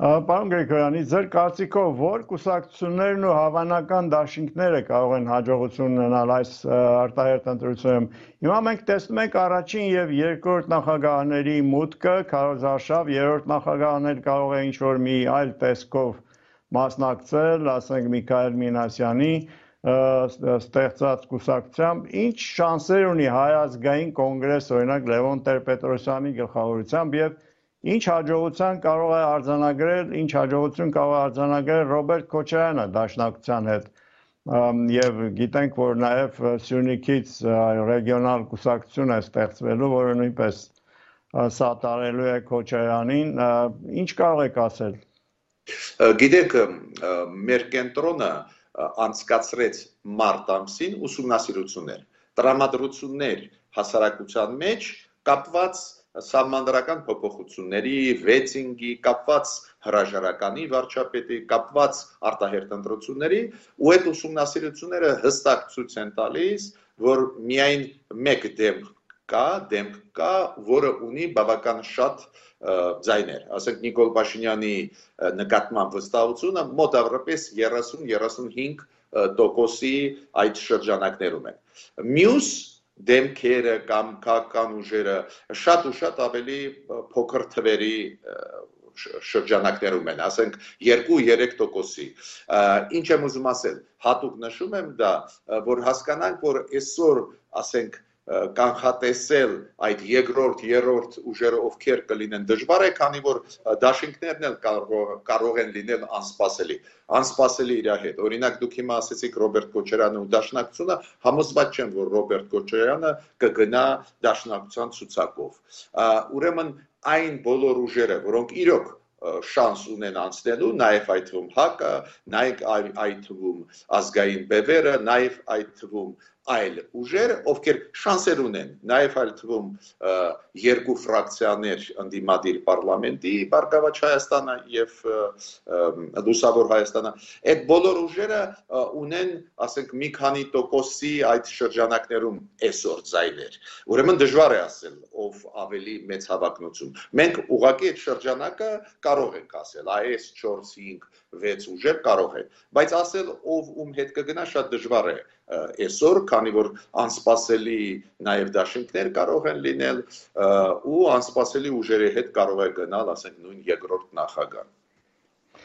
Պարոն Գրիգորյանի, ձեր կարծիքով որ կուսակցություններն ու հավանական դաշինքները կարող են հաջողություն ունենալ այս արտահերթ ընտրությունում։ Հիմա մենք տեսնում ենք առաջին եւ երկրորդ նախագահների մուտքը, քարոզարշավ, երրորդ նախագահներ կարող է ինչ-որ մի այլ տեսքով մասնակցել, ասենք Միքայել Մինասյանի ստեղծած կուսակցությամբ, ինչ շանսեր ունի Հայ ազգային կոնգրես, օրինակ Լևոն Տեր-Պետրոսյանի գլխավորությամբ եւ ինչ հաջողություն կարող է արձանագրել Ռոբերտ Քոչարյանը դաշնակցության հետ եւ գիտենք որ նաեւ Սյունիքից ռեգիոնալ կուսակցություն է ստեղծվելու, որը նույնպես սատարելու է Քոչարյանին, ինչ կարող եք ասել։ Գիտեք, մեր կենտրոնը անցկացրեց մարտ ամսին ուսումնասիրություններ, տրամադրություններ հասարակության մեջ կապված սահմանադրական փոփոխությունների, վեցինգի, կապված հրաժարականի վարչապետի, կապված արտահերթ ընտրությունների, ու այդ ուսումնասիրությունները հստակ ցույց են տալիս, որ միայն մեկ դեմք կա, որը ունի բավական շատ ձայներ, ասենք Նիկոլ Փաշինյանի նկատմամբ վստահությունը մոտավորապես 30-35% այդ շրջանակներում են։ Մյուս դեմքերը կամ քաղաքական ուժերը շատ ու շատ ավելի փոքր թվերի շրջանակներում են, ասենք 2-3%-ի։ Ինչ եմ ուզում ասել, հատուկ նշում եմ դա, որ հասկանանք, որ այսօր, ասենք, կանխատեսել այդ երկրորդ, երրորդ ուժերը ովքեր կլինեն դժվար է, քանի որ դաշինքներն էլ կարող են լինել անսպասելի իր հետ։ Օրինակ դուք հիմա ասեցիք Ռոբերտ Քոչարյանը ու դաշնակցությունը, համոզված չեմ, որ Ռոբերտ Քոչարյանը կգնա դաշնակցության ցուցակով։ Ուրեմն այն բոլոր ուժերը, որոնք իրոք շանս ունեն անցնելու, նաև այդ թվում ՀԱԿ-ը, նաև այդ թվում ազգային բևերը, նաև այդ թվում այլ ուժեր, ովքեր շանսեր ունեն, նաև այլ թվում երկու ֆրակցիաներ ընդդիմադիր պարլամենտի, Բարգավաճ Հայաստանը եւ Լուսավոր Հայաստանը, այդ բոլոր ուժերը ունեն, ասենք, մի քանի տոկոսի այդ շրջանակներում այսօր ձայներ։ Ուրեմն դժվար է ասել, ով ավելի մեծ հավակնություն։ Մենք ուղղակի այդ շրջանակը կարող ենք ասել, այս 4-5-6 ուժեր կարող են, բայց ասել ով ում հետ կգնա շատ դժվար է այսօր, քանի որ անսպասելի նաև դաշինքներ կարող են լինել ու անսպասելի ուժերի հետ կարող է գնալ, ասենք, նույն երկրորդ նախագահ։